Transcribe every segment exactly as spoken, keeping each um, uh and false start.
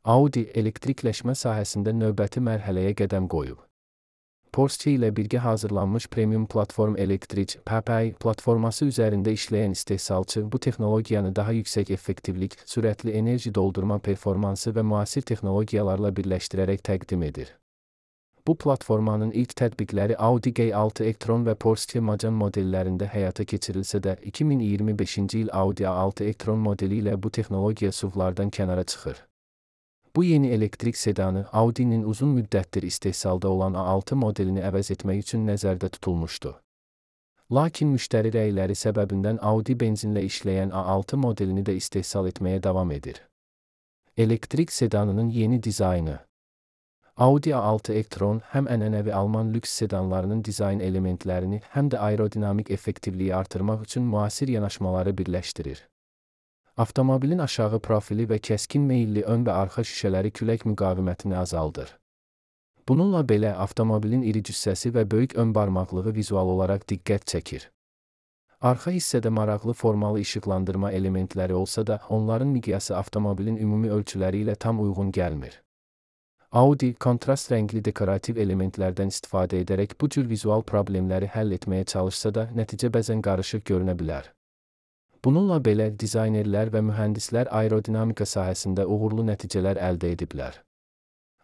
Audi elektrikləşmə sahəsində növbəti mərhələyə qədəm qoyub. Porsche ilə birgə hazırlanmış premium platform Electric P P I platforması üzərində işləyən istehsalçı bu texnologiyanı daha yüksək effektivlik, sürətli enerji doldurma performansı və müasir texnologiyalarla birləşdirərək təqdim edir. Bu platformanın ilk tətbiqləri Audi Q altı e-tron və Porsche Macan modellərində həyata keçirilsə də, iki min iyirmi beşinci il Audi A altı e-tron modeli ilə bu texnologiya S U V-lardan kənara çıxır. Bu yeni elektrik sedanı Audi'nin uzun müddətdir istehsalda olan A altı modelini əvəz etmək üçün nəzərdə tutulmuşdu. Lakin müştəri rəyləri səbəbindən Audi benzinlə işləyən A altı modelini də istehsal etməyə davam edir. Elektrik sedanının yeni dizaynı. Audi A altı e-tron həm ənənəvi Alman lüks sedanlarının dizayn elementlərini, həm də aerodinamik effektivliyi artırmaq üçün müasir yanaşmaları birləşdirir. Avtomobilin aşağı profili və kəskin meyilli ön və arxa şüşələri külək müqavimətini azaldır. Bununla belə avtomobilin iri cüssəsi və böyük ön barmaqlığı vizual olaraq diqqət çəkir. Arxa hissədə maraqlı formalı işıqlandırma elementləri olsa da, onların miqyası avtomobilin ümumi ölçüləri ilə tam uyğun gəlmir. Audi, kontrast rəngli dekorativ elementlərdən istifadə edərək bu cür vizual problemləri həll etməyə çalışsa da, nəticə bəzən qarışıq görünə bilər. Bununla belə, dizaynerlər və mühəndislər aerodinamika sahəsində uğurlu nəticələr əldə ediblər.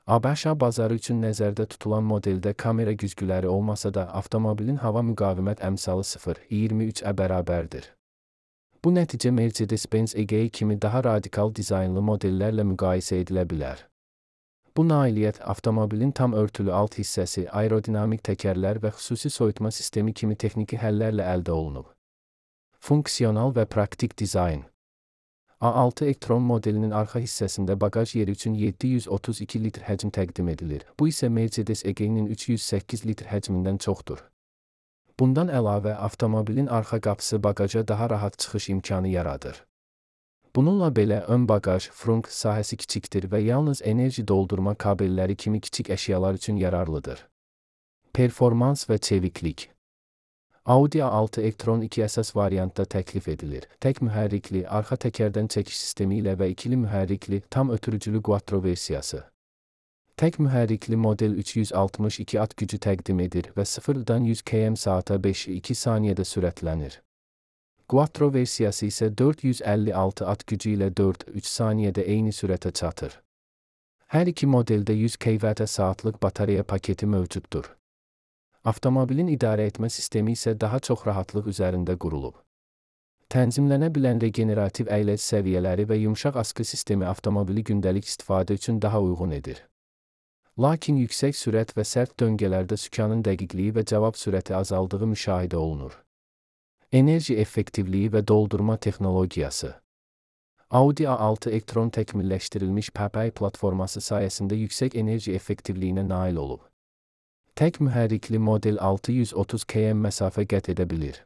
ABŞ bazarı üçün nəzərdə tutulan modeldə kamera güzgüləri olmasa da, avtomobilin hava müqavimət əmsalı sıfır nöqtə iyirmi üç-ə bərabərdir. Bu nəticə Mercedes-Benz E G kimi daha radikal dizaynlı modellərlə müqayisə edilə bilər. Bu nailiyyət avtomobilin tam örtülü alt hissəsi, aerodinamik təkərlər və xüsusi soyutma sistemi kimi texniki həllərlə əldə olunub. Funksional və praktik dizayn. A altı e-tron modelinin arxa hissəsində baqaj yeri üçün yeddi yüz otuz iki litr həcm təqdim edilir. Bu isə Mercedes E G-nin üç yüz səkkiz litr həcmindən çoxdur. Bundan əlavə, avtomobilin arxa qapısı baqaja daha rahat çıxış imkanı yaradır. Bununla belə, ön baqaj, frunk sahəsi kiçikdir və yalnız enerji doldurma kabelləri kimi kiçik əşyalar üçün yararlıdır. Performans və çeviklik. Audi A altı e-tron iki əsas variantda təklif edilir. Tək mühərrikli, arxa təkərdən çəkiş sistemi ilə və ikili mühərrikli, tam ötürücülü Quattro versiyası. Tək mühərrikli model üç yüz altmış iki at gücü təqdim edir və sıfırdan yüz kilometr saata beş nöqtə iki saniyədə sürətlənir. Quattro versiyası isə dörd yüz əlli altı at gücü ilə dörd nöqtə üç saniyədə eyni sürətə çatır. Hər iki modeldə yüz kilovatr saatlıq batareya paketi mövcuddur. Avtomobilin idarə etmə sistemi isə daha çox rahatlıq üzərində qurulub. Tənzimlənə bilən regenerativ əyləc səviyyələri və yumşaq askı sistemi avtomobili gündəlik istifadə üçün daha uyğun edir. Lakin yüksək sürət və sərt döngələrdə sükanın dəqiqliyi və cavab sürəti azaldığı müşahidə olunur. Enerji effektivliyi və doldurma texnologiyası. Audi A altı e-tron təkmilləşdirilmiş P P I platforması sayəsində yüksək enerji effektivliyinə nail olub. Tək mühərrikli model altı yüz otuz kilometr məsafə qət edə bilir.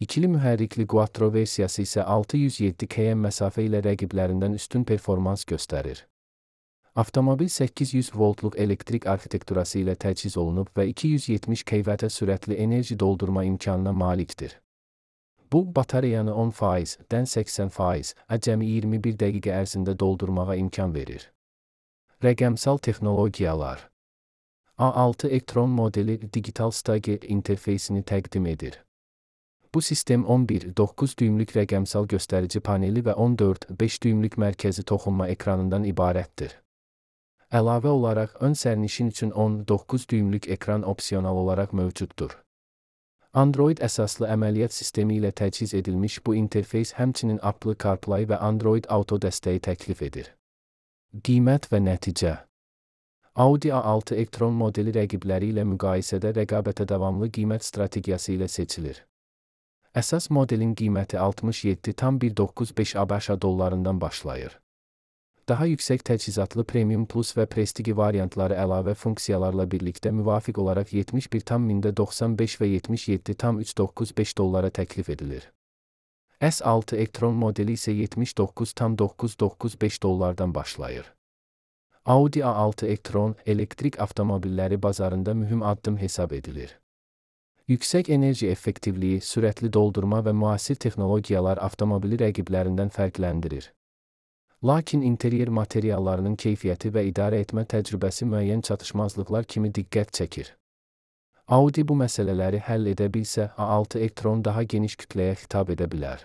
İkili mühərrikli Quattro versiyası isə altı yüz yeddi kilometr məsafə ilə rəqiblərindən üstün performans göstərir. Avtomobil səkkiz yüz voltluq elektrik arxitekturası ilə təchiz olunub və iki yüz yetmiş kilovatr sürətli enerji doldurma imkanına malikdir. Bu, batareyanı on faizdən səksən faizə cəmi iyirmi bir dəqiqə ərzində doldurmağa imkan verir. Rəqəmsal texnologiyalar. A altı e-tron modeli digital Stage interfeysini təqdim edir. Bu sistem on bir nöqtə doqquz düymlük rəqəmsal göstərici paneli və on dörd nöqtə beş düymlük mərkəzi toxunma ekranından ibarətdir. Əlavə olaraq, ön sərnişin üçün on doqquz düymlük ekran opsional olaraq mövcuddur. Android əsaslı əməliyyat sistemi ilə təchiz edilmiş bu interfeys həmçinin Apple CarPlay və Android Auto dəstəyi təklif edir. Qiymət və nəticə. Audi A altı e-tron modeli rəqibləri ilə müqayisədə rəqabətə davamlı qiymət strategiyası ilə seçilir. Əsas modelin qiyməti altmış yeddi tam bir doqquz beş ABŞ dollarından başlayır. Daha yüksək təchizatlı Premium Plus və Prestigi variantları əlavə funksiyalarla birlikdə müvafiq olaraq yetmiş bir tam mində doxsan beş və yetmiş yeddi tam üç doqquz beş dollara təklif edilir. S altı e-tron modeli isə yetmiş doqquz tam doqquz doqquz beş dollardan başlayır. Audi A altı e-tron elektrik avtomobilləri bazarında mühüm addım hesab edilir. Yüksək enerji effektivliyi, sürətli doldurma və müasir texnologiyalar avtomobili rəqiblərindən fərqləndirir. Lakin interyer materiallarının keyfiyyəti və idarə etmə təcrübəsi müəyyən çatışmazlıqlar kimi diqqət çəkir. Audi bu məsələləri həll edə bilsə, A altı e-tron daha geniş kütləyə xitab edə bilər.